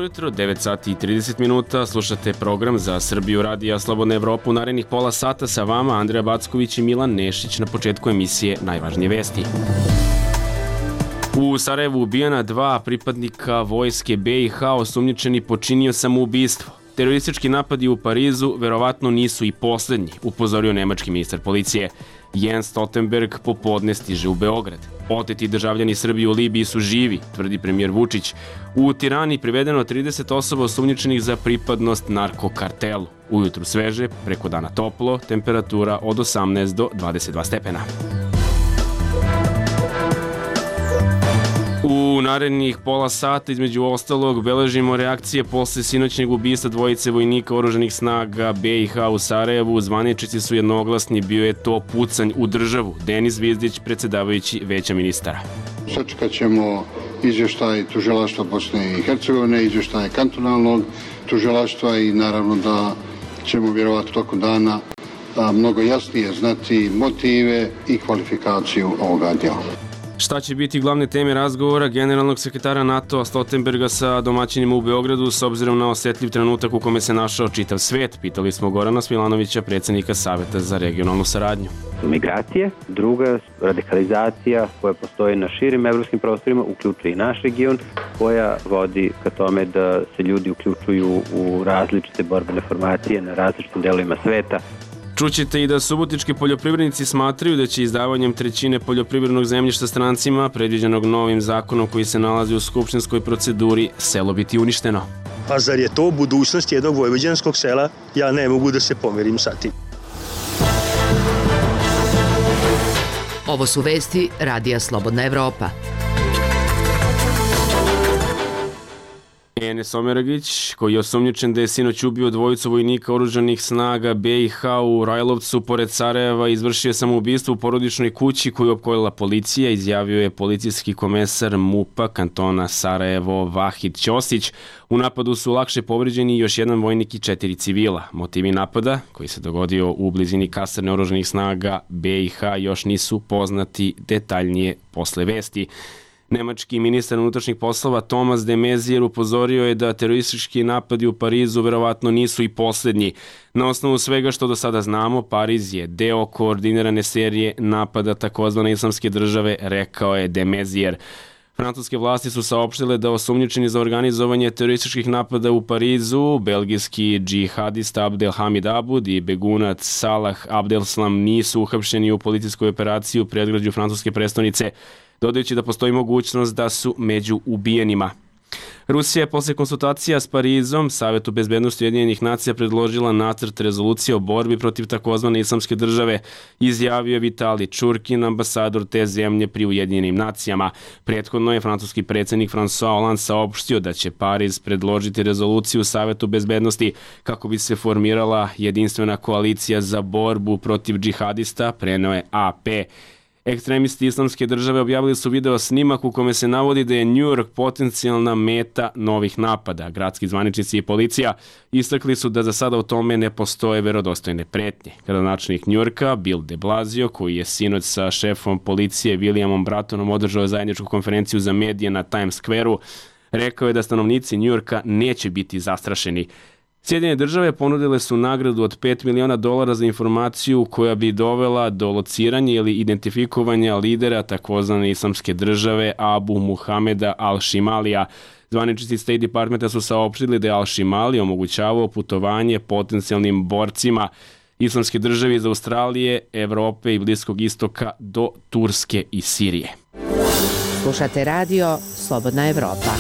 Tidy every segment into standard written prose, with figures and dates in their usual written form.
Dobro jutro, 9 sati i 30 minuta, slušate program za Srbiju radija Slobodna Evropa u narednih pola sata sa vama Andreja Backović i Milan Nešić na početku emisije Najvažnije vesti. U Sarajevu ubijena 2 pripadnika vojske BiH, osumnjičeni počinio samoubistvo. Teroristički napadi u Parizu verovatno nisu i poslednji, upozorio nemački ministar policije. Jens Stoltenberg popodne stiže u Beograd. Oteti državljani Srbije u Libiji su živi, tvrdi premijer Vučić. U Tirani privedeno 30 osoba osumnjičenih za pripadnost narkokartelu. Ujutru sveže, preko dana toplo, temperatura od 18 do 22 stepena. U narednih pola sata, između ostalog, beležimo reakcije posle sinoćnjeg ubistva dvojice vojnika oružanih snaga BiH u Sarajevu. Zvaničnici su jednoglasni, bio je to pucanj u državu. Denis Zvizdić, predsjedavajući Veća ministara. Sačekat ćemo izvještaj tužilaštva Bosne i Hercegovine, izvještaj kantonalnog tužilaštva i naravno da ćemo vjerovatno tokom dana mnogo jasnije znati motive i kvalifikaciju ovoga djela. Šta će biti glavne teme razgovora generalnog sekretara NATO-a Stoltenberga sa domaćinima u Beogradu s obzirom na osjetljiv trenutak u kome se našao čitav svet? Pitali smo Gorana Smilanovića, predsjednika Saveta za regionalnu saradnju. Migracije, druga radikalizacija koja postoji na širim evropskim prostorima, uključuje i naš region, koja vodi ka tome da se ljudi uključuju u različite borbene formacije na različitim delovima sveta. Čućete i da subotički poljoprivrednici smatraju da će izdavanjem trećine poljoprivrednog zemljišta strancima, predviđenog novim zakonom koji se nalazi u skupštinskoj proceduri, selo biti uništeno. A zar je to budućnost jednog vojvođanskog sela? Ja ne mogu da se pomirim sa tim. Ovo su vesti Radija Slobodna Evropa. Enes Omeragić, koji je osumnjičen da je sinoć ubio dvojicu vojnika oružanih snaga BiH u Rajlovcu pored Sarajeva, izvršio samoubistvo u porodičnoj kući koju je opkolila policija, izjavio je policijski komesar MUP-a kantona Sarajevo Vahid Ćosić. U napadu su lakše povređeni još jedan vojnik i 4 civila. Motivi napada, koji se dogodio u blizini kasarne oružanih snaga BiH, još nisu poznati detaljnije posle vesti. Nemački ministar unutrašnjih poslova Thomas de Maizière upozorio je da teroristički napadi u Parizu verovatno nisu i posljednji. Na osnovu svega što do sada znamo, Pariz je deo koordinirane serije napada takozvane islamske države, rekao je de Maizière. Francuske vlasti su saopštile da osumnjičeni za organizovanje terorističkih napada u Parizu, belgijski džihadista Abdelhamid Abud i begunac Salah Abdeslam nisu uhapšeni u policijskoj operaciji u predgrađu francuske prestonice, dodajući da postoji mogućnost da su među ubijenima. Rusija je posle konsultacija s Parizom Savetu bezbednosti Ujedinjenih nacija predložila nacrt rezolucije o borbi protiv takozvane islamske države, izjavio Vitali Čurkin, ambasador te zemlje pri Ujedinjenim nacijama. Prethodno je francuski predsjednik François Hollande saopštio da će Pariz predložiti rezoluciju Savetu bezbednosti kako bi se formirala jedinstvena koalicija za borbu protiv džihadista, preneo je AP. Ekstremisti islamske države objavili su video snimak u kome se navodi da je New York potencijalna meta novih napada. Gradski zvaničnici i policija istakli su da za sada u tome ne postoje verodostojne pretnje. Gradonačelnik New Yorka, Bill de Blasio, koji je sinoć sa šefom policije Williamom Brattonom održao zajedničku konferenciju za medije na Times Square-u, rekao je da stanovnici New Yorka neće biti zastrašeni. Sjedinjene države ponudile su nagradu od $5 miliona za informaciju koja bi dovela do lociranja ili identifikovanja lidera takozvane islamske države Abu Muhameda al-Šimalija. Zvaničnici State Departmenta su saopštili da je al-Šimali omogućavao putovanje potencijalnim borcima islamske države iz Australije, Evrope i Bliskog istoka do Turske i Sirije. Slušate radio Slobodna Evropa.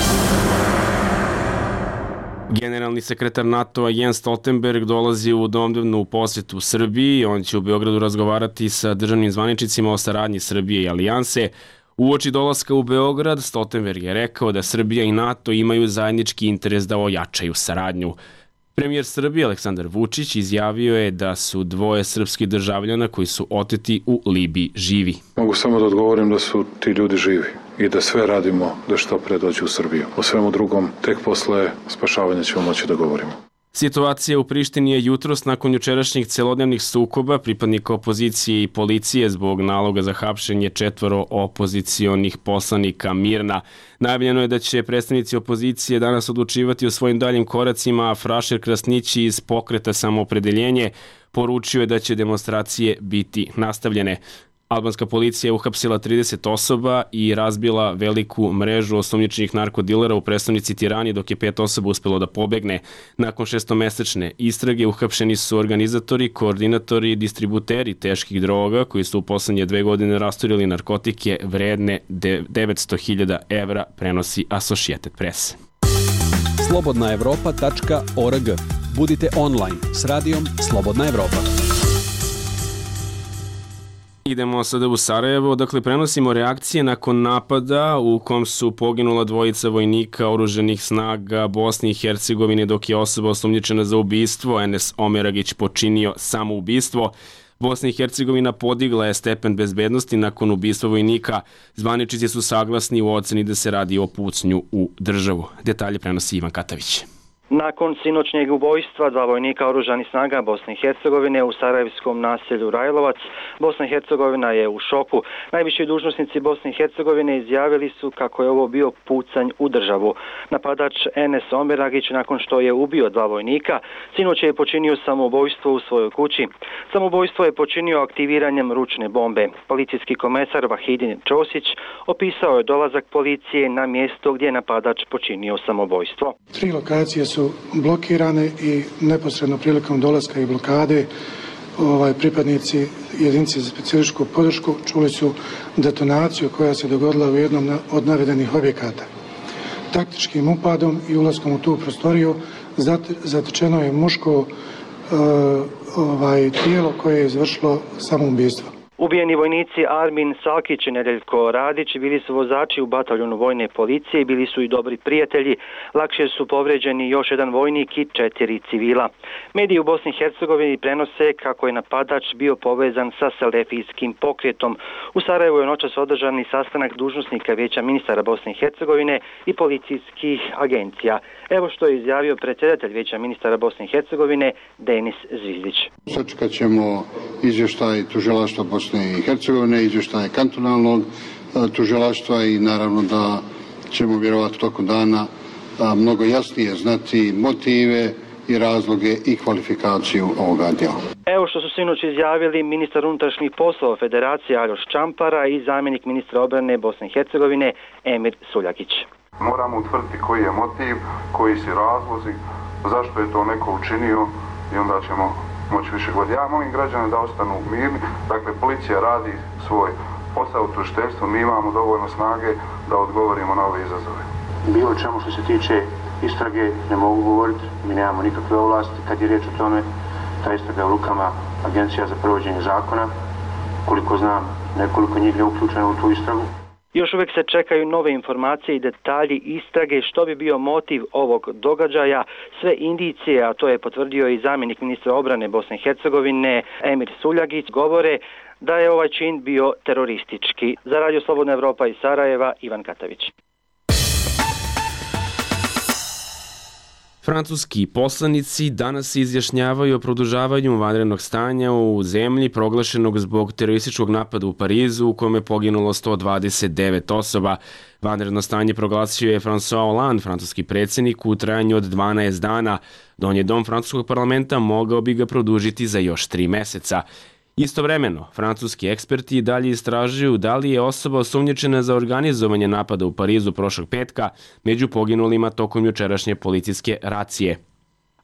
Generalni sekretar NATO-a Jens Stoltenberg dolazi u domnevnu posjetu Srbiji. On će u Beogradu razgovarati sa državnim zvaničnicima o saradnji Srbije i Alijanse. Uoči dolaska u Beograd, Stoltenberg je rekao da Srbija i NATO imaju zajednički interes da ojačaju saradnju. Premijer Srbije Aleksandar Vučić izjavio je da su dvoje srpskih državljana koji su oteti u Libiji živi. Mogu samo da odgovorim da su ti ljudi živi i da sve radimo da što pre dođu u Srbiju. O svemu drugom tek posle spašavanja ćemo moći da govorimo. Situacija u Prištini je jutros nakon jučerašnjih celodnevnih sukoba pripadnika opozicije i policije zbog naloga za hapšenje 4 opozicionih poslanika mirna. Najavljeno je da će predstavnici opozicije danas odlučivati o svojim daljim koracima, a Frašer Krasnići iz Pokreta Samoopredeljenje poručio je da će demonstracije biti nastavljene. Albanska policija je uhapsila 30 osoba i razbila veliku mrežu osumnjičenih narkodilera u prestonici Tirani, dok je 5 osoba uspelo da pobegne. Nakon 6-mesečne istrage uhapšeni su organizatori, koordinatori i distributeri teških droga koji su u poslednje 2 godine rasturili narkotike vredne 900.000 evra, prenosi Associated Press. slobodnaevropa.org. Budite online s radijom Slobodna Evropa. Idemo sada u Sarajevo, dakle prenosimo reakcije nakon napada u kom su poginula 2 vojnika oružanih snaga Bosne i Hercegovine, dok je osoba osumnjičena za ubistvo, Enes Omeragić, počinio samoubistvo. Bosna i Hercegovina podigla je stepen bezbednosti nakon ubistva vojnika. Zvaničnici su saglasni u oceni da se radi o pucnju u državu. Detalje prenosi Ivan Katavić. Nakon sinoćnjeg ubojstva 2 vojnika oružanih snaga Bosne i Hercegovine u sarajevskom naselju Rajlovac, Bosna i Hercegovina je u šoku. Najviši dužnosnici Bosne i Hercegovine izjavili su kako je ovo bio pucanj u državu. Napadač Enes Omeragić, nakon što je ubio 2 vojnika, sinoć je počinio samoubojstvo u svojoj kući. Samoubojstvo je počinio aktiviranjem ručne bombe. Policijski komesar Vahidin Ćosić opisao je dolazak policije na mjesto gdje je napadač počinio samoubojstvo. 3 lokacije su blokirane i neposredno prilikom dolaska i blokade pripadnici jedinice za specijalističku podršku čuli su detonaciju koja se dogodila u jednom od navedenih objekata. Taktičkim upadom i ulaskom u tu prostoriju zatečeno je muško tijelo koje je izvršilo samoubistvo. Ubijeni vojnici Armin Salkić i Nedeljko Radić bili su vozači u bataljonu vojne policije i bili su i dobri prijatelji. Lakše su povređeni još 1 vojnik i 4 civila. Mediji u Bosni i Hercegovini prenose kako je napadač bio povezan sa selefijskim pokretom. U Sarajevu je noćas održani sastanak dužnosnika Vijeća ministara Bosne i Hercegovine i policijskih agencija. Evo što je izjavio predsjedatelj Vijeća ministara Bosne i Hercegovine Denis Zvizdić. Sačekat ćemo izvještaj tužilaštva Bosne i Hercegovine, izvještaje kantonalnog tužilaštva i naravno da ćemo vjerovatno tokom dana mnogo jasnije znati motive i razloge i kvalifikaciju ovoga djela. Evo što su sinoć izjavili ministar unutrašnjih poslova Federacije Aljoš Čampara i zamjenik ministra obrane Bosne i Hercegovine Emir Suljagić. Moramo utvrditi koji je motiv, koji su razlozi, zašto je to neko učinio i onda ćemo moći više govoriti. Ja molim građane da ostanu mirni, dakle policija radi svoj posao, tužiteljstvo, mi imamo dovoljno snage da odgovorimo na ove izazove. Bilo čemu što se tiče istrage ne mogu govoriti, mi nemamo nikakve ovlasti kad je riječ o tome, ta istraga je u rukama Agencija za provođenje zakona, koliko znam nekoliko njih je uključeno u tu istragu. Još uvijek se čekaju nove informacije i detalji istrage što bi bio motiv ovog događaja. Sve indicije, a to je potvrdio i zamjenik ministra obrane Bosne i Hercegovine Emir Suljagić, govore da je ovaj čin bio teroristički. Za Radio Slobodna Evropa iz Sarajeva, Ivan Katavić. Francuski poslanici danas se izjašnjavaju o produžavanju vanrednog stanja u zemlji proglašenog zbog terorističkog napada u Parizu u kome je poginulo 129 osoba. Vanredno stanje proglasio je François Hollande, francuski predsjednik, u trajanju od 12 dana. Donji dom francuskog parlamenta mogao bi ga produžiti za još 3 meseca. Istovremeno, francuski eksperti dalje istražuju da li je osoba osumnjičena za organizovanje napada u Parizu prošlog petka među poginulima tokom jučerašnje policijske racije.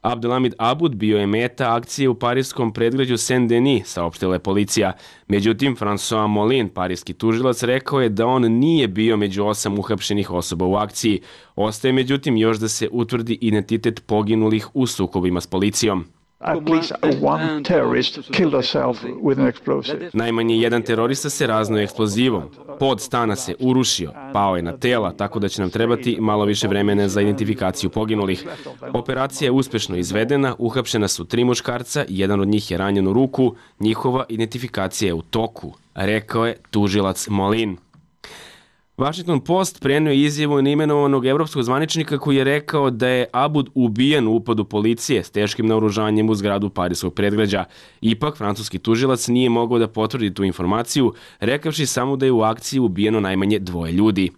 Abdelhamid Aboud bio je meta akcije u parijskom predgrađu Saint-Denis, saopštila je policija. Međutim, François Molin, parijski tužilac, rekao je da on nije bio među 8 uhapšenih osoba u akciji. Ostaje međutim još da se utvrdi identitet poginulih u sukobima s policijom. Najmanje jedan terorista se raznao eksplozivom. Pod stana se urušio, pao je na tela, tako da će nam trebati malo više vremena za identifikaciju poginulih. Operacija je uspešno izvedena, uhapšena su 3 muškarca, jedan od njih je ranjen u ruku, njihova identifikacija je u toku, rekao je tužilac Molin. Washington Post prenio izjavu neimenovanog evropskog zvaničnika koji je rekao da je Abud ubijen u upadu policije s teškim naoružanjem u zgradu parijskog predgrađa. Ipak, francuski tužilac nije mogao da potvrdi tu informaciju, rekavši samo da je u akciji ubijeno najmanje 2 ljudi.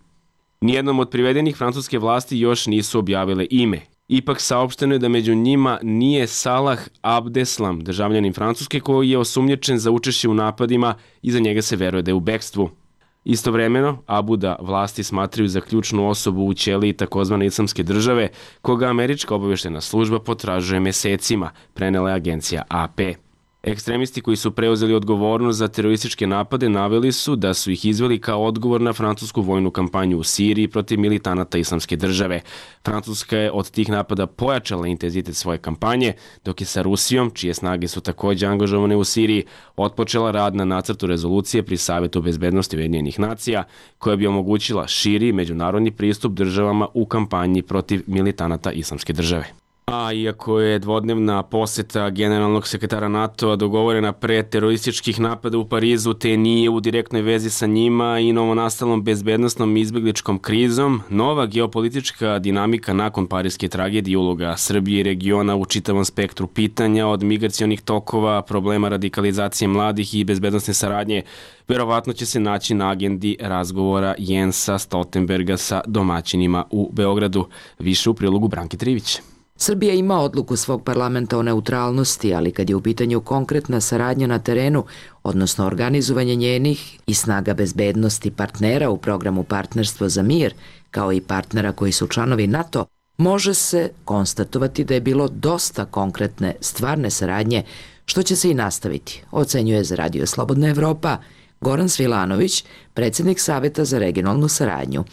Nijednom od privedenih francuske vlasti još nisu objavile ime. Ipak saopšteno je da među njima nije Salah Abdeslam, državljanin Francuske koji je osumnjičen za učešće u napadima i za njega se veruje da je u bekstvu. Istovremeno, Abuda vlasti smatraju za ključnu osobu u ćeliji takozvane Islamske države, koga američka obavještajna služba potražuje mesecima, prenela je agencija AP. Ekstremisti koji su preuzeli odgovornost za terorističke napade naveli su da su ih izveli kao odgovor na francusku vojnu kampanju u Siriji protiv militanata Islamske države. Francuska je od tih napada pojačala intenzitet svoje kampanje, dok je sa Rusijom, čije snage su takođe angažovane u Siriji, otpočela rad na nacrtu rezolucije pri Savetu bezbednosti Ujedinjenih nacija, koja bi omogućila širi međunarodni pristup državama u kampanji protiv militanata Islamske države. A iako je dvodnevna poseta generalnog sekretara NATO-a dogovorena pre terorističkih napada u Parizu, te nije u direktnoj vezi sa njima i novonastalom bezbednosnom izbegličkom krizom, nova geopolitička dinamika nakon parijske tragedije, uloga Srbije i regiona u čitavom spektru pitanja od migracionih tokova, problema radikalizacije mladih i bezbednosne saradnje, verovatno će se naći na agendi razgovora Jensa Stoltenberga sa domaćinima u Beogradu. Više u prilogu Branke Trivić. Srbija ima odluku svog parlamenta o neutralnosti, ali kad je u pitanju konkretna saradnja na terenu, odnosno organizovanje njenih i snaga bezbednosti partnera u programu Partnerstvo za mir, kao i partnera koji su članovi NATO, može se konstatovati da je bilo dosta konkretne stvarne saradnje, što će se i nastaviti, ocenjuje za Radio Slobodna Evropa Goran Svilanović, predsjednik Saveta za regionalnu saradnju.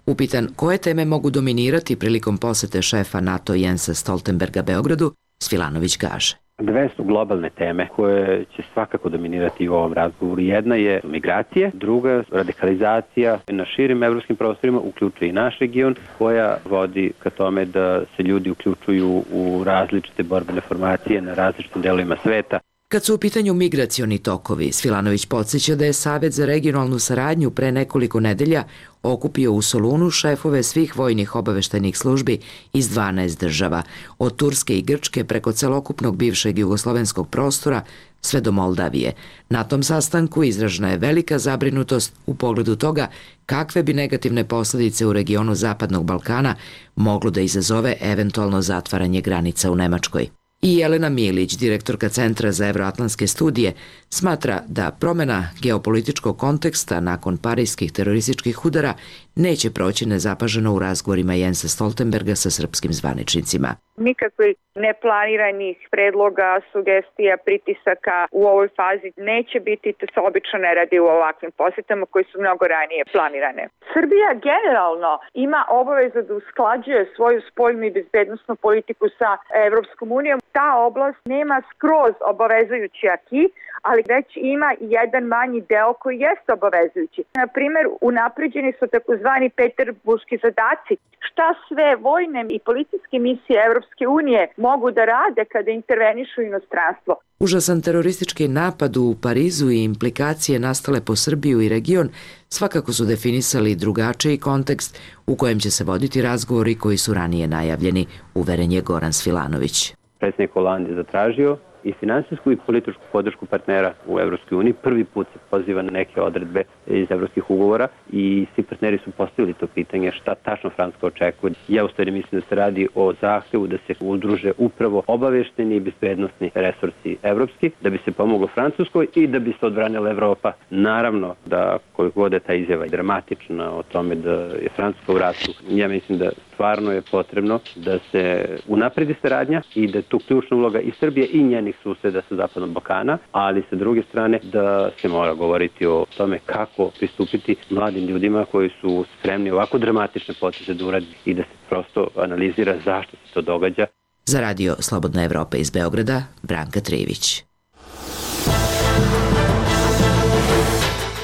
Upitan koje teme mogu dominirati prilikom posete šefa NATO Jensa Stoltenberga Beogradu, Svilanović kaže. 2 su globalne teme koje će svakako dominirati u ovom razgovoru. Jedna je migracije, druga radikalizacija na širim evropskim prostorima, uključuje i naš region, koja vodi ka tome da se ljudi uključuju u različite borbene formacije na različitim delovima sveta. Kad su u pitanju migracioni tokovi, Svilanović podsjeća da je Savet za regionalnu saradnju pre nekoliko nedelja okupio u Solunu šefove svih vojnih obaveštajnih službi iz 12 država, od Turske i Grčke preko celokupnog bivšeg jugoslovenskog prostora sve do Moldavije. Na tom sastanku izražena je velika zabrinutost u pogledu toga kakve bi negativne posledice u regionu Zapadnog Balkana moglo da izazove eventualno zatvaranje granica u Nemačkoj. I Jelena Milić, direktorka Centra za evroatlantske studije, smatra da promjena geopolitičkog konteksta nakon parijskih terorističkih udara neće proći nezapaženo u razgovorima Jensa Stoltenberga sa srpskim zvaničnicima. Nikakvih neplaniranih predloga, sugestija, pritisaka u ovoj fazi neće biti, to se obično ne radi u ovakvim posjetama koji su mnogo ranije planirane. Srbija generalno ima obavezu da usklađuje svoju spoljnu i bezbednosnu politiku sa Evropskom unijom. Ta oblast nema skroz obavezujući aki, ali već ima jedan manji deo koji jeste obavezujući. Na primjer, unapređeni su takozvani peterburški zadaci. Šta sve vojne i policijske misije Evropske unije mogu da rade kada intervenišu u inostranstvo? Užasan teroristički napad u Parizu i implikacije nastale po Srbiju i region svakako su definisali drugačiji kontekst u kojem će se voditi razgovori koji su ranije najavljeni, uveren je Goran Svilanović. Predsjednik Hollande je zatražio i finansijsku i političku podršku partnera u Evropskoj uniji. Prvi put se poziva na neke odredbe iz evropskih ugovora i svi partneri su postavili to pitanje šta tačno Francuska očekuje. Ja u stvari mislim da se radi o zahtevu da se udruže upravo obavešteni i bezbednosni resursi evropski, da bi se pomoglo Francuskoj i da bi se odbranila Evropa. Naravno da koliko god je ta izjava dramatična o tome da je Francuska u ratu, ja mislim da stvarno je potrebno da se unapredi saradnja i da je tu ključna uloga i Srbije i njenih suseda sa Zapadnog Balkana, ali sa druge strane da se mora govoriti o tome kako pristupiti mladim ljudima koji su spremni ovako dramatične poteze da uradi i da se prosto analizira zašto se to događa. Za Radio Slobodna Evropa iz Beograda, Branka Trivić.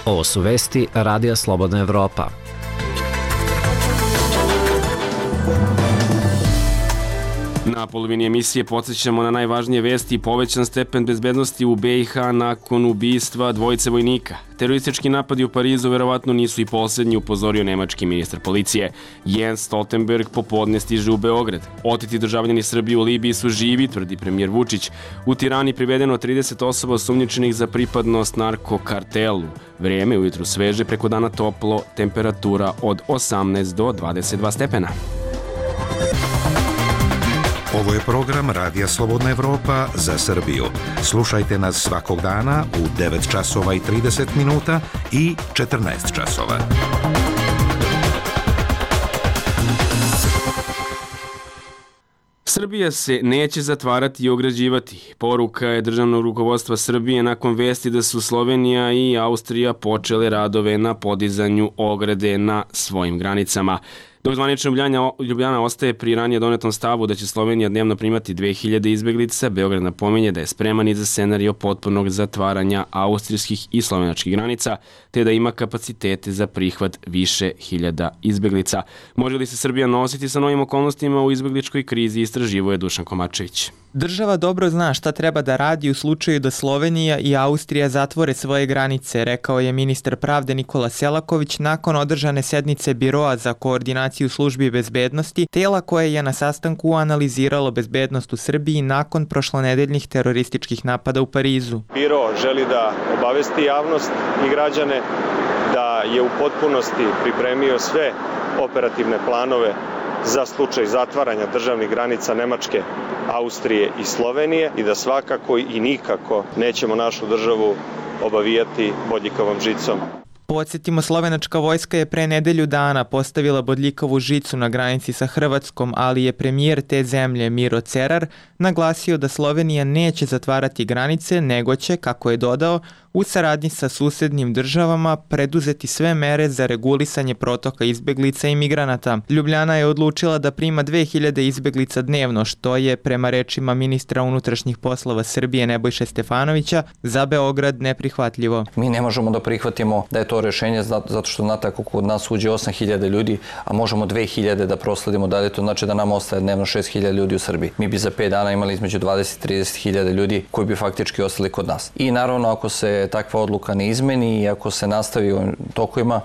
Ovo su vesti Radija Slobodna Evropa. Na polovini emisije podsjećamo na najvažnije vesti i povećan stepen bezbednosti u BiH nakon ubistva dvojice vojnika. Teroristički napadi u Parizu verovatno nisu i posljednji, upozorio nemački ministar policije. Jens Stoltenberg popodne stiže u Beograd. Oteti državljani Srbije u Libiji su živi, tvrdi premijer Vučić. U Tirani privedeno 30 osoba osumnjičenih za pripadnost narkokartelu. Vrijeme ujutru sveže, preko dana toplo, temperatura od 18 do 22 stepena. Ovo je program Radija Slobodna Evropa za Srbiju. Slušajte nas svakog dana u 9 časova i 30 minuta i 14 časova. Srbija se neće zatvarati i ograđivati. Poruka je državnog rukovodstva Srbije nakon vesti da su Slovenija i Austrija počele radove na podizanju ograde na svojim granicama. Dok zvanično Ljubljana ostaje pri ranije donetom stavu da će Slovenija dnevno primati 2000 izbeglica, Beograd napominje da je spreman i za scenario potpunog zatvaranja austrijskih i slovenačkih granica, te da ima kapacitete za prihvat više hiljada izbeglica. Može li se Srbija nositi sa novim okolnostima u izbegličkoj krizi, istraživo je Dušan Komačević. Država dobro zna šta treba da radi u slučaju da Slovenija i Austrija zatvore svoje granice, rekao je ministar pravde Nikola Selaković nakon održane sednice Biroa za koordinaciju službi bezbednosti, tela koje je na sastanku analiziralo bezbednost u Srbiji nakon prošlonedeljnih terorističkih napada u Parizu. Biro želi da obavesti javnost i građane da je u potpunosti pripremio sve operativne planove za slučaj zatvaranja državnih granica Nemačke, Austrije i Slovenije i da svakako i nikako nećemo našu državu obavijati bodljikavom žicom. Podsjetimo, slovenačka vojska je pre nedelju dana postavila bodljikavu žicu na granici sa Hrvatskom, ali je premijer te zemlje Miro Cerar naglasio da Slovenija neće zatvarati granice, nego će, kako je dodao, u saradnji sa susednim državama preduzeti sve mere za regulisanje protoka izbeglica i migranata. Ljubljana je odlučila da prima 2000 izbeglica dnevno, što je, prema rečima ministra unutrašnjih poslova Srbije Nebojše Stefanovića, za Beograd neprihvatljivo. Mi ne možemo da prihvatimo da je to rešenje zato što znate ako kod nas uđe 8000 ljudi, a možemo 2000 da prosledimo dalje, to znači da nam ostaje dnevno 6000 ljudi u Srbiji. Mi bi za 5 dana imali između 20 i 30.000 ljudi koji bi faktički ostali kod nas. I naravno ako se takva odluka ne izmeni i ako se nastavi u tokovima,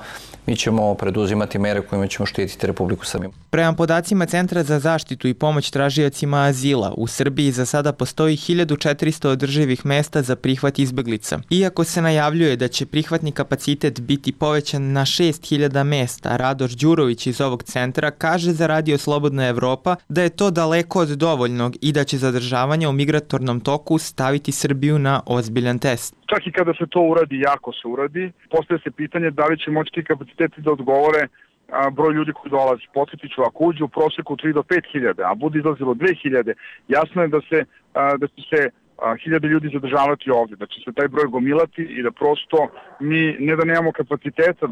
mi ćemo preduzimati mere kojima ćemo štititi Republiku Srbiju. Prema podacima Centra za zaštitu i pomoć tražiocima azila, u Srbiji za sada postoji 1400 održivih mesta za prihvat izbeglica. Iako se najavljuje da će prihvatni kapacitet biti povećan na 6000 mesta, Radoš Đurović iz ovog centra kaže za Radio Slobodna Evropa da je to daleko od dovoljnog i da će zadržavanje u migratornom toku staviti Srbiju na ozbiljan test. Čak i kada se to uradi, jako se uradi, postaje se pitanje da li će moći ti kapaciteti da odgovore broj ljudi koji dolazi. Podsjetit ću, ako uđe u proseku 3 do 5.000, a bude izlazilo 2.000, jasno je da će se 1000 ljudi zadržavati ovdje, da će se taj broj gomilati i da prosto mi ne da nemamo kapaciteta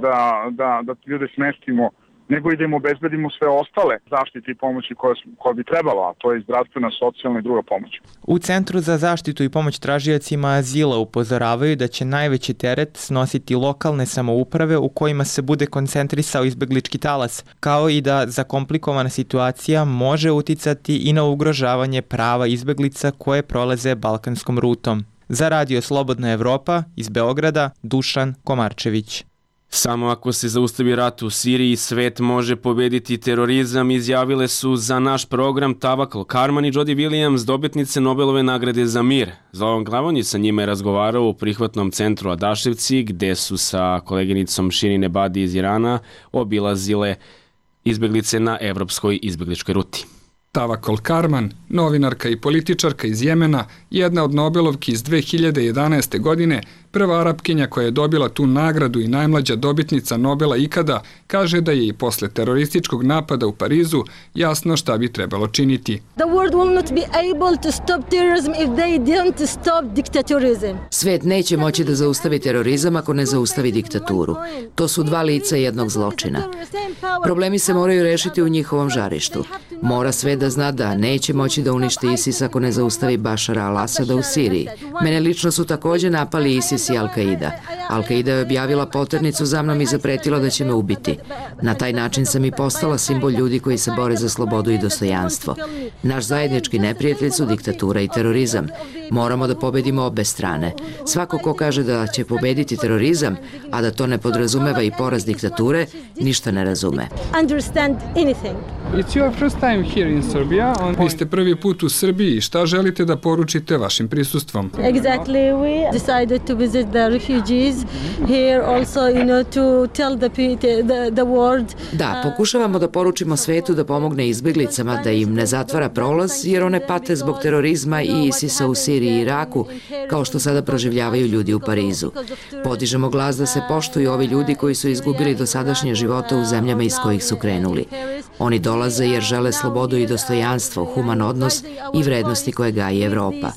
da ljude smestimo, nego i da im obezbedimo sve ostale zaštite i pomoći koje bi trebalo, a to je zdravstvena, socijalna i druga pomoć. U Centru za zaštitu i pomoć tražiocima azila upozoravaju da će najveći teret snositi lokalne samouprave u kojima se bude koncentrisao izbeglički talas, kao i da zakomplikovana situacija može uticati i na ugrožavanje prava izbeglica koje prolaze balkanskom rutom. Za Radio Slobodna Evropa iz Beograda, Dušan Komarčević. Samo ako se zaustavi rat u Siriji, svet može pobediti terorizam, izjavile su za naš program Tawakkol Karman i Jody Williams, dobitnice Nobelove nagrade za mir. Zoran Glavonji sa njima je razgovarao u prihvatnom centru Adaševci, gde su sa koleginicom Shirin Ebadi iz Irana obilazile izbeglice na evropskoj izbegličkoj ruti. Tawakkol Karman, novinarka i političarka iz Jemena, jedna od Nobelovki iz 2011. godine, prva Arapkinja koja je dobila tu nagradu i najmlađa dobitnica Nobela ikada, kaže da je i posle terorističkog napada u Parizu jasno šta bi trebalo činiti. Svet neće moći da zaustavi terorizam ako ne zaustavi diktaturu. To su dva lica jednog zločina. Problemi se moraju rešiti u njihovom žarištu. Mora svet da zna da neće moći da uništi ISIS ako ne zaustavi Bašara al-Asada u Siriji. Mene lično su takođe napali ISIS i Al-Qaida. Al-Qaida je objavila poternicu za mnom i zapretila da će me ubiti. Na taj način sam i postala simbol ljudi koji se bore za slobodu i dostojanstvo. Naš zajednički neprijatelj su diktatura i terorizam. Moramo da pobedimo obe strane. Svako ko kaže da će pobediti terorizam, a da to ne podrazumeva i poraz diktature, ništa ne razume. Vi ste prvi put u Srbiji i šta želite da poručite vašim prisustvom? Da, pokušavamo da poručimo svetu da pomogne izbeglicama, da im ne zatvara prolaz, jer one pate zbog terorizma i ISIS-a u Siriji i Iraku, kao što sada proživljavaju ljudi u Parizu. Podižemo glas da se poštuju ovi ljudi koji su izgubili dosadašnje živote u zemljama iz kojih su krenuli. Oni dolaze jer žele slobodu i dostojanstvo, human odnos i vrednosti koje gaji Evropa.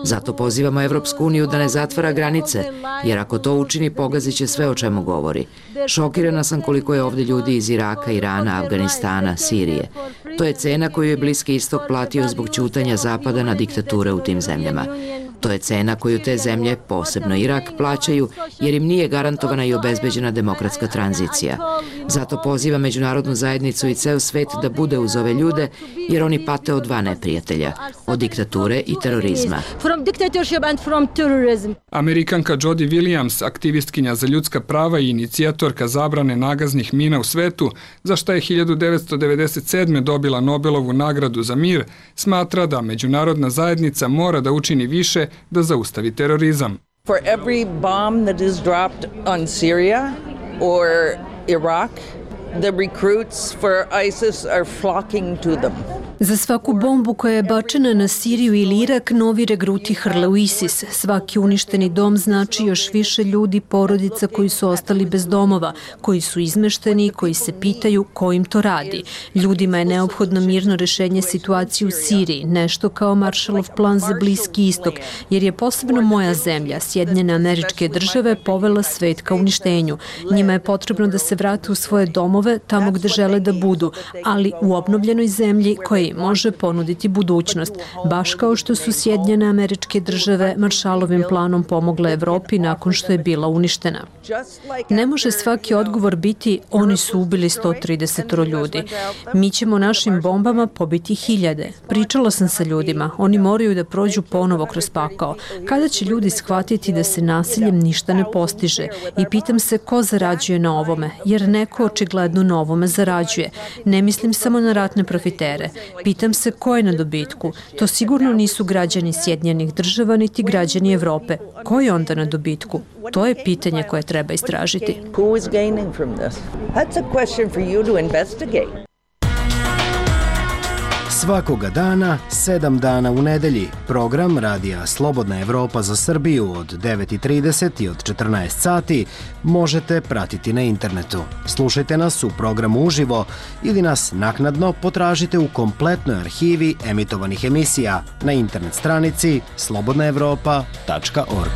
Zato pozivamo Evropsku uniju da ne zatvara granice, jer ako to učini, pogazit će sve o čemu govori. Šokirana sam koliko je ovde ljudi iz Iraka, Irana, Afganistana, Sirije. To je cena koju je Bliski istok platio zbog ćutanja Zapada na diktature u tim zemljama. To je cena koju te zemlje, posebno Irak, plaćaju jer im nije garantovana i obezbeđena demokratska tranzicija. Zato poziva međunarodnu zajednicu i ceo svet da bude uz ove ljude jer oni pate od dva neprijatelja, od diktature i terorizma. Amerikanka Jody Williams, aktivistkinja za ljudska prava i inicijatorka zabrane nagaznih mina u svetu, za šta je 1997. dobila Nobelovu nagradu za mir, smatra da međunarodna zajednica mora da učini više da zaustavi terorizam. For every bomb that is dropped on Syria or Iraq, the recruits for ISIS are flocking to them. Za svaku bombu koja je bačena na Siriju ili Irak, novi regruti hrle u ISIS. Svaki uništeni dom znači još više ljudi, porodica koji su ostali bez domova, koji su izmešteni i koji se pitaju ko im to radi. Ljudima je neophodno mirno rešenje situacije u Siriji, nešto kao Marshallov plan za Bliski istok, jer je posebno moja zemlja, Sjedinjene Američke Države, povela svet ka uništenju. Njima je potrebno da se vrate u svoje domove, tamo gde žele da budu, ali u obnovljenoj zemlji koja može ponuditi budućnost, baš kao što su Sjedinjene Američke Države Marshallovim planom pomogle Evropi nakon što je bila uništena. Ne može svaki odgovor biti oni su ubili 130 ljudi. Mi ćemo našim bombama pobiti hiljade. Pričala sam sa ljudima, oni moraju da prođu ponovo kroz pakao. Kada će ljudi shvatiti da se nasiljem ništa ne postiže? I pitam se ko zarađuje na ovome, jer neko očigledno na ovome zarađuje. Ne mislim samo na ratne profitere. Pitam se ko je na dobitku. To sigurno nisu građani Sjedinjenih Država niti građani Evrope. Ko je onda na dobitku? To je pitanje koje treba istražiti. Who is gaining from this? That's a question for you to investigate. Svakoga dana, 7 dana u nedelji, program Radija Slobodna Evropa za Srbiju od 9:30 i od 14 sati možete pratiti na internetu. Slušajte nas u programu uživo ili nas naknadno potražite u kompletnoj arhivi emitovanih emisija na internet stranici slobodnaevropa.org.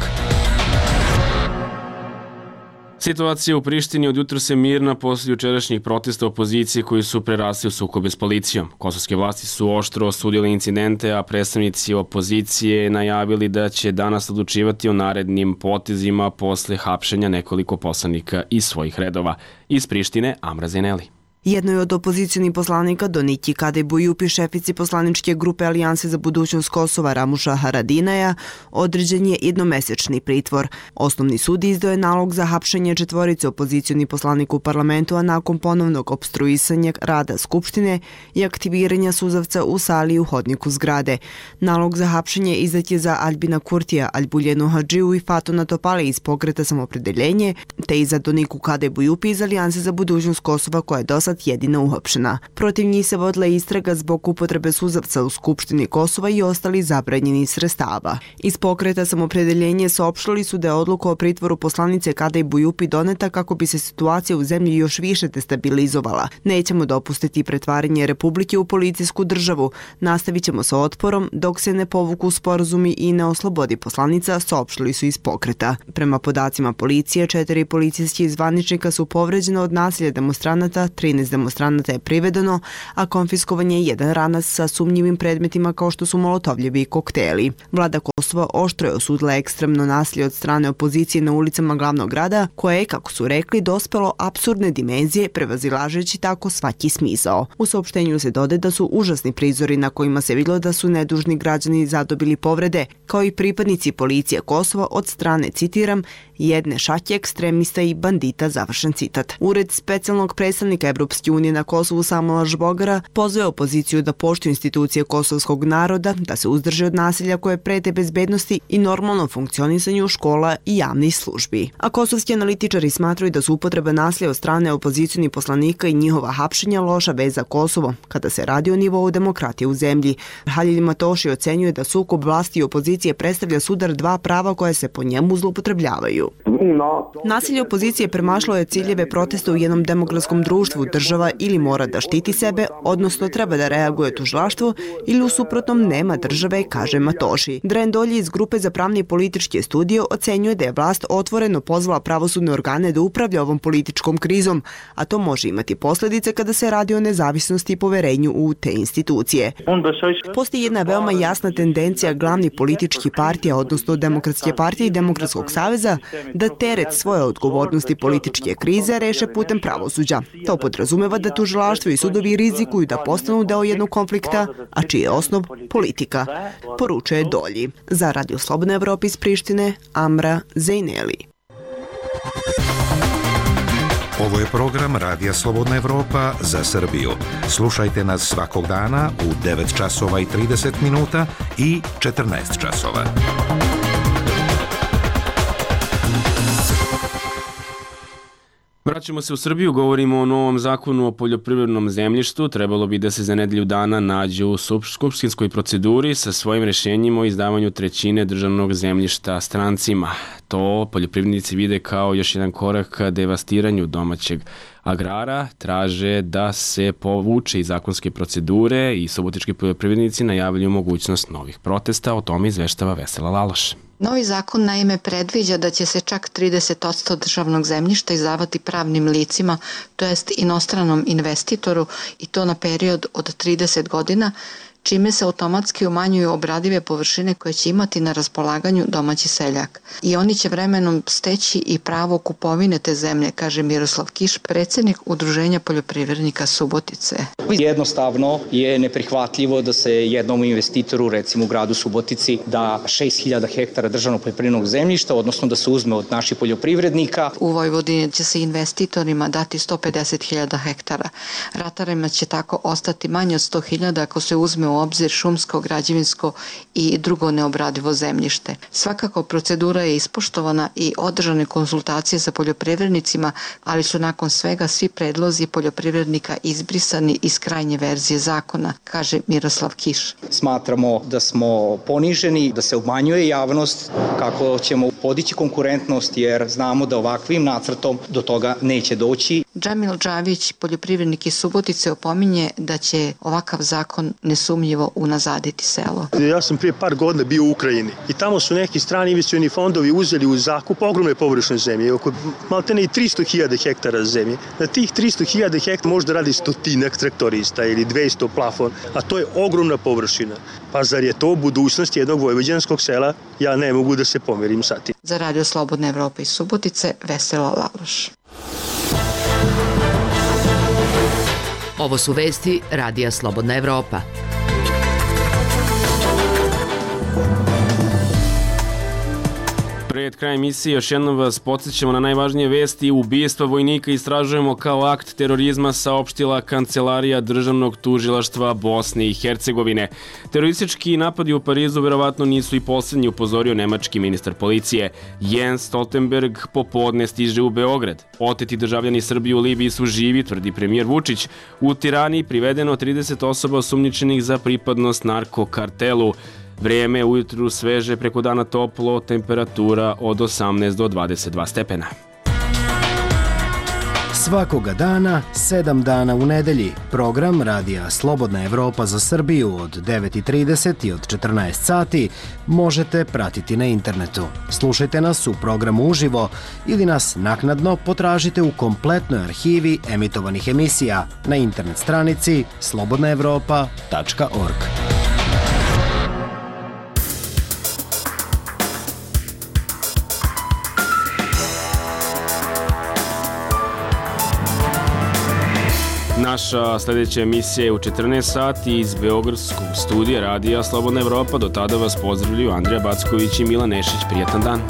Situacija u Prištini od jutra se mirna posle jučerašnjih protesta opozicije koji su prerasli u sukobe s policijom. Kosovske vlasti su oštro osudile incidente, a predstavnici opozicije najavili da će danas odlučivati o narednim potezima posle hapšenja nekoliko poslanika iz svojih redova. Iz Prištine, Amra Zeneli. Jednoj od opozicionih poslanika Doniki Kadejbujupi, šefici poslaničke grupe Alijanse za budućnost Kosova Ramuša Haradinaja, određen je jednomesečni pritvor. Osnovni sud izdao je nalog za hapšenje četvorice opozicionih poslanika u parlamentu, a nakon ponovnog opstruisanja rada Skupštine i aktiviranja suzavca u sali u hodniku zgrade. Nalog za hapšenje izdat je za Albina Kurtija, Albuljenu Hadžiju i Fatuna Topale iz pokreta Samopredeljenje, te i za Doniku Kadejbujupi iz Alijanse za budućnost Kosova koja je dosad jedina uhapšena. Protiv njih se vodila istraga zbog upotrebe suzavca u Skupštini Kosova i ostali zabranjeni sredstava. Iz pokreta Samopredeljenje saopštili su da je odluka o pritvoru poslanice Kadejbujupi doneta kako bi se situacija u zemlji još više destabilizovala. Nećemo dopustiti pretvaranje Republike u policijsku državu. Nastavit ćemo sa otporom dok se ne povuku sporazumi i ne oslobodi poslanica, saopštili su iz pokreta. Prema podacima policije, 4 policijskih zvaničnika su povređena od nasilja demonstranata, 13 13 demonstranata je privedeno, a konfiskovan je jedan ranac sa sumnjivim predmetima kao što su molotovljevi i kokteli. Vlada Kosova oštro je osudila ekstremno nasilje od strane opozicije na ulicama glavnog grada, koje je, kako su rekli, dospelo apsurdne dimenzije, prevazilažeći tako svaki smisao. U saopštenju se dodaje da su užasni prizori na kojima se vidjelo da su nedužni građani zadobili povrede, kao i pripadnici policije Kosova od strane, citiram, jedne šake ekstremista i bandita, završen citat. Ured specijalnog predstavnika Evropske unije na Kosovu Samuela Žbogara pozvao opoziciju da poštuju institucije kosovskog naroda, da se uzdrže od nasilja koje prete bezbednosti i normalnom funkcionisanju škola i javnih službi. A kosovski analitičari smatraju da su upotreba nasilja od strane opozicionih poslanika i njihova hapšenja loša vez za Kosovo, kada se radi o nivou demokratije u zemlji. Halil Matoši ocenjuje da sukob vlasti i opozicije predstavlja sudar dva prava koje se po njemu zloupotrebljavaju. Nasilje opozicije premašlo je ciljeve protesta u jednom demokratskom društvu. Država ili mora da štiti sebe, odnosno treba da reaguje tužilaštvo, ili u suprotnom nema države, kaže Matoši. Dren Dolji iz Grupe za pravne i političke studije ocenjuje da je vlast otvoreno pozvala pravosudne organe da upravlja ovom političkom krizom, a to može imati posljedice kada se radi o nezavisnosti i poverenju u te institucije. Postoji jedna veoma jasna tendencija glavnih političkih partija, odnosno Demokratske partije i Demokratskog saveza, da teret svoje odgovornosti političke krize reše putem pravosuđa. To podrazumeva da tužilaštvo i sudovi rizikuju da postanu deo jednog konflikta, a čiji je osnov politika, poručuje Dolji. Za Radio Slobodna Evropa iz Prištine, Amra Zejneli. Ovo je program Radija Slobodna Evropa za Srbiju. Slušajte nas svakog dana u 9 časova i 30 minuta i 14 časova. Vraćamo se u Srbiju, govorimo o novom zakonu o poljoprivrednom zemljištu. Trebalo bi da se za nedelju dana nađe u skupštinskoj proceduri sa svojim rešenjima o izdavanju trećine državnog zemljišta strancima. To poljoprivrednici vide kao još jedan korak ka devastiranju domaćeg agrara, traže da se povuče iz zakonske procedure i subotički poljoprivrednici najavljuju mogućnost novih protesta. O tome izveštava Vesela Laloš. Novi zakon naime predviđa da će se čak 30% državnog zemljišta izdavati pravnim licima, to jest inostranom investitoru, i to na period od 30 godina, čime se automatski umanjuju obradive površine koje će imati na raspolaganju domaći seljak. I oni će vremenom steći i pravo kupovine te zemlje, kaže Miroslav Kiš, predsjednik Udruženja poljoprivrednika Subotice. Jednostavno je neprihvatljivo da se jednom investitoru, recimo u gradu Subotici, da 6000 hektara državnog poljoprivrednog zemljišta, odnosno da se uzme od naših poljoprivrednika. U Vojvodini će se investitorima dati 150.000 hektara. Ratarima će tako ostati manje od 100.000 ako se uzme u obzir šumsko, građevinsko i drugo neobradivo zemljište. Svakako procedura je ispoštovana i održane konsultacije sa poljoprivrednicima, ali su nakon svega svi predlozi poljoprivrednika izbrisani iz krajnje verzije zakona, kaže Miroslav Kiš. Smatramo da smo poniženi, da se obmanjuje javnost, kako ćemo podići konkurentnost, jer znamo da ovakvim nacrtom do toga neće doći. Džamil Džavić, poljoprivrednik iz Subotice, opominje da će ovakav zakon nesumnjivo unazaditi selo. Ja sam prije par godina bio u Ukrajini i tamo su neki strani investicioni fondovi uzeli u zakup ogromne površine zemlje, oko maltene i 300.000 hektara zemlje. Na tih 300.000 hektara možda radi 100 traktorista ili 200 plafon, a to je ogromna površina. Pa zar je to budućnost jednog vojvođanskog sela? Ja ne mogu da se pomirim sa tim. Za Radio Slobodna Evropa iz Subotice, Vesela Laloš. Ovo su vesti Radija Slobodna Evropa. Pred krajem emisije još jednom vas podsjećamo na najvažnije vesti. Ubijestva vojnika istražujemo kao akt terorizma, saopštila Kancelarija Državnog tužilaštva Bosne i Hercegovine. Teroristički napadi u Parizu verovatno nisu i posljednji, upozorio nemački ministar policije. Jens Stoltenberg popodne stiže u Beograd. Oteti državljani Srbije u Libiji su živi, tvrdi premijer Vučić. U Tirani privedeno 30 osoba osumnjičenih za pripadnost narkokartelu. Vrijeme ujutru sveže, preko dana toplo, temperatura od 18 do 22 stepena. Svakoga dana, 7 dana u nedelji, program Radija Slobodna Evropa za Srbiju od 9.30 i od 14 sati možete pratiti na internetu. Slušajte nas u programu uživo ili nas naknadno potražite u kompletnoj arhivi emitovanih emisija na internet stranici slobodnaevropa.org. Naša sljedeća emisija je u 14 sati iz Beogradskog studija Radija Slobodna Evropa. Do tada vas pozdravljaju Andrija Backović i Milan Nešić. Prijetan dan.